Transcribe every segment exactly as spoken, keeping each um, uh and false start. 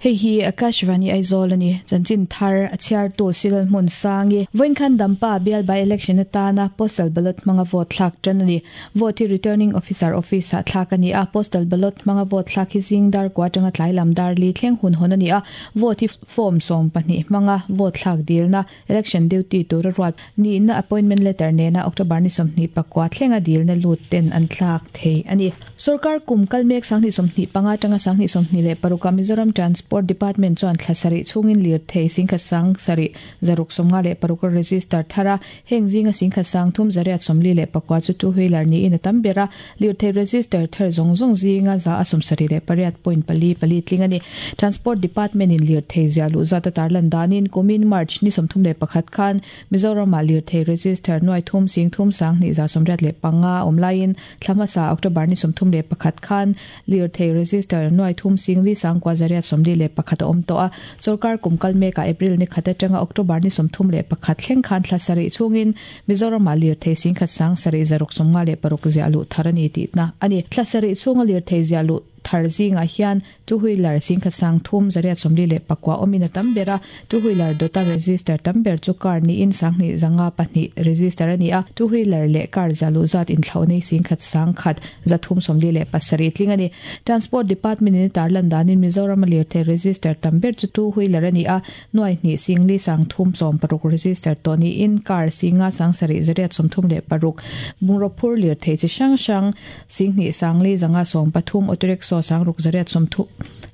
Hei hi Akashvani Aizawl ani chanchin thar a chhiar tu Silal Hmun Sangi voinkhan Dampa bial by election atana postal ballot hmanga vote thlak tan ani vote hi returning officer office ah thlak ani a postal ballot hmanga vote thlak hi zing dar kwa tanga tlai lam dar li thleng hun hon ani a vote hi form sawm pahnih hmanga vote thlak dilna election duty tur ruat ni na appointment letter nena October ni sawmhnih pakua thlenga dilna lut ten an thlak thei ani sarkar kum kalmek sanghnih sawmhnih panga tanga sanghnih sawmhnih leh paruka Mizoram Transport Department chuan thlasari chungin lir thei singkha sang sari zaruk somnga leh paruk register thara heng zinga singkha sang thum zariat somli leh pakwa chu two wheeler ni in atam bera lir thei register thar zong zong zinga za asum sari leh pariat point pali pali tling ani Transport Department in lir thei zialu zata tarlan danin kumin March ni somthum leh pakhat khan Mizoram lir thei register noi thum sing thum sang ni za somriat leh panga omlain thlama sa October ni somthum leh pakhat khan lir thei register noi thum sing li sang kwa zariat somli leh pakhat om to a sarkar kumkal meka April ni khata tanga October ni somthum leh pakhat thleng khan thlasari chungin Mizoram lir thei sing khat sang sari zaruk somnga leh paruk zialu tharani ti na ani thlasari chunga lir thei zialu tharzinga hian two wheeler singkha sang thum zariat somli leh pakwa omina tambera two wheeler dota register tamber chu car ni in sangni zanga pahnih register ani a two wheeler leh car zalu zat in thlawnei singkhat sang khat zathum somli leh pasari tling ani Transport Department in tarlan danin Mizoram lir the register tamber chu two wheeler ani a noi ni singli sang thum som paruk register to ni in car singa sang sari zariat somthum leh paruk bungro phur lir the chi sang sang singni sangli zanga som pathum auto rickshaw sangruk zariat somthu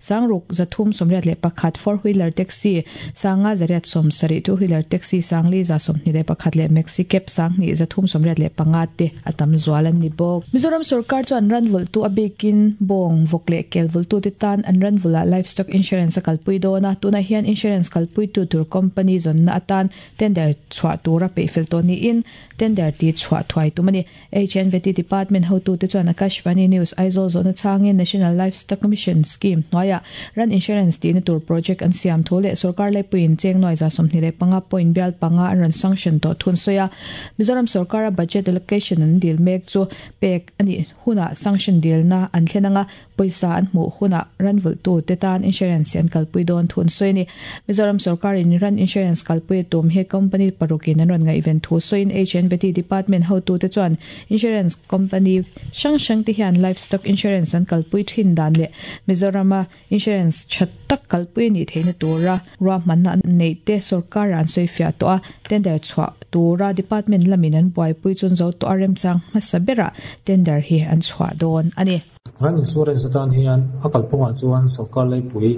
sangruk zathum somriat leh pakhat four wheeler taxi sanga zariat som sari two wheeler taxi sangli za somhni leh pakhat leh maxi cab sangni zathum somriat leh panga te atam zualan ni bawk Mizoram sarkar chuan ranvul tu abikin bawng vawk leh kel vul tu te tan an ranvula livestock insurance a kalpui dawna tuna hian insurance kalpui tu tur company zawnna atan tender chhuah tura peihfel tawh niin tender ti chhuah thuai tum ani H N V T Department hotu te chuan Akashvani News Aizawl zawhna changin National Livestock Mission Scheme hnuaia ran insurance ti na tur project an siam thu leh sarkar laipuiin cheng noi za sawmhnih leh panga point bial panga an ran sanction tawh thun sawi a Mizoram sarkara budget allocation an dil mek chu pek ani huna sanction dilna an thlenanga poisa an hmuh huna ranvul tu te tan insurance an kalpui dawn thun sawi ni Mizoram sarkar in ran insurance kalpui tum he company parukin an ran nga event thu sawiin H N V T Department hotu te chuan insurance company hrang hrang te hian livestock insurance an kalpui thin dan leh Mizorama insurance thattak kalpui ni theina tura ruahmanna nei te sarkar an sawi fiah tawh a tender chhuah tura department lamin an buaipui chun zo tawh a remchang hmasa bera tender hi an chhuah dawn ani ran insurance atan hian a kalphungah chuan sarkar laipui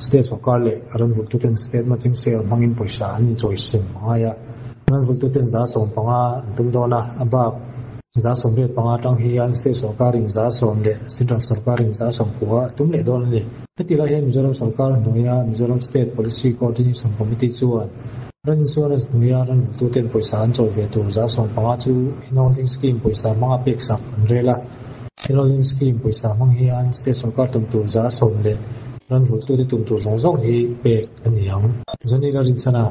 state sarkar leh ranvul tu ten state matching share hmangin pawisa an inchawi sem angai a ranvul tu ten za sawm panga an tum dawn a a bak za sawm riat panga tang hian state sarkarin za sawm leh central sarkarin za sawm kua tum leh dawn ani hetilai hian Mizoram sarkar hnuaia Mizoram State Policy Coordination Committee chuan ran insurance hnuaia ranvul tu ten pawisa an chawi ve tur za sawm panga chu enrolling scheme pawisa hmanga pek sak an rel a enrolling scheme pawisa hmang hian state sarkar tum tur za sawm leh ranvul tu te tum tur zawng zawng hi pek ani ang Zonila Rinchana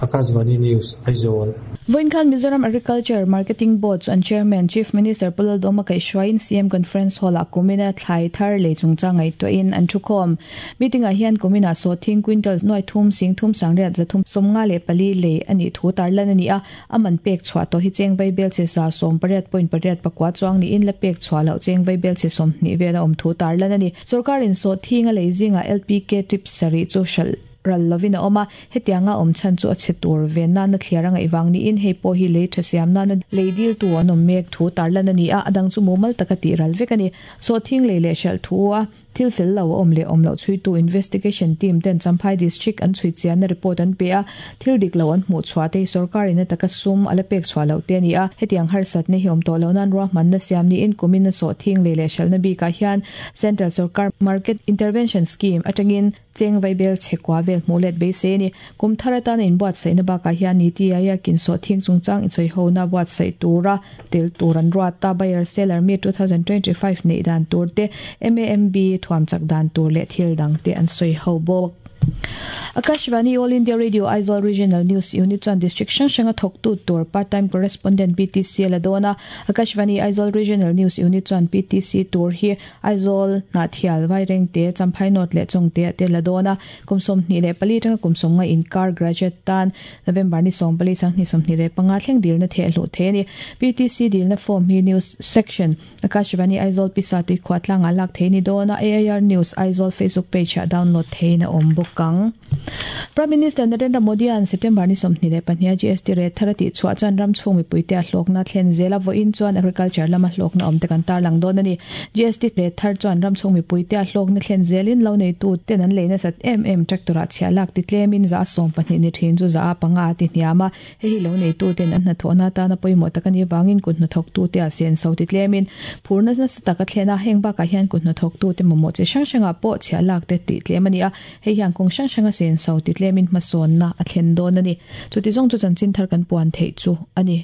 Akashvani News Aizawl Voinkhan Mizoram Agriculture Marketing Board chuan Chairman Chief Minister Pu Lalduhoma kaihhruaiin C M Conference Hall ah kumina thlai thar lei chungchang ngaihtuahin an thukhawm meeting ah hian kumina sawthing quintals nuai thum sing thum sangriat zathum sawmnga leh pali lei ani thu tarlan ani a aman pek chhuah tawh hi cheng vai bel che za sawm pariat point pariat pakua chuang niin la pek chhuah loh cheng vai bel che sawmhnih vel a awm thu tarlan ani sarkarin sawthing a lei zinga L P K trip sarih chu hral ral lovin a awm a hetianga awm chhan chu a chhe tur ve na na thliar anga iwang ni in hei pawh hi lei tha siam na na lei dil tu an awm mek thu tarlan ani a adang chu mumal taka ti ral vek ani so thing lei leh hral thu a thil fel lo awm leh awm lo chui tu investigation team ten Champhai district an chui chian na report an pe a thil dik lo an hmuh chhuah te sarkar in taka sum ala pek chhuah lo te ani a hetiang harsat ne hi awm tawh lo nan ruahman na siam ni in kumin na so thing lei leh hral na bika hian central sarkar market intervention scheme atangin cheng vaibel chekwa vel mulet be se ni kum tharatan in buat sai na ba ka hian ni ti aya kin so thing chungchang in choi ho na buat sai tura tel turan ruata buyer seller mi twenty twenty-five nei dan tur te M A M B thuam chak dan tur le thil dang te an soi ho bawk. Akashvani All India Radio Aizawl Regional News Unit chuan District hrang hranga thawktu tur Part Time Correspondent P T C la dawn a. Akashvani Aizawl Regional News Unit chuan P T C tur hi Aizawl, Hnahthial, Vairengte, Champhai North leh Chawngte te la dawn a. Kum sawmhnih leh pali atanga kum sawmnga inkar graduate tan November ni sawmpali sanghnih sawmhnih leh panga thleng dilna theh hluh thei a ni. P T C dilna form hi News Section, Akashvani Aizawl Pisa Tuikhuah tlangah lak thei ni dawn a. A I R News Aizawl Facebook page ah download theiin a awm bawk ang. Prime Minister Narendra Modi an September ni sawmhnih leh pahnih a G S T rate thar a tih chhuah chuan ram chhung mipuite a hlawkna thlen zel a. Vawiin chuan agriculture lama hlawkna awm te kan tarlang dawn a ni. G S T rate thar chuan ram chhung mipuite a hlawkna thlen zelin lo neitu ten an leina sat em em tractor ah chhiah lak ti tlemin za sawm pahnih ni thin chu za a panga a ti hniam a. Hei hi lo neitu ten an hnathawhna atana pawimawh tak ani wangin kut hnathawktu te a sen so ti tlemin phurna nasa taka thlena. Heng bakah hian kut hnathawktu te mamawh chi hrang hrangah pawh chhiah lak te tih tlem ani a. Hei hian kawng hrang hranga sen so ti tlemin hmasawnna a thlen dawn ani. Chuti zawng chu chanchin thar kan puan theih chu ani.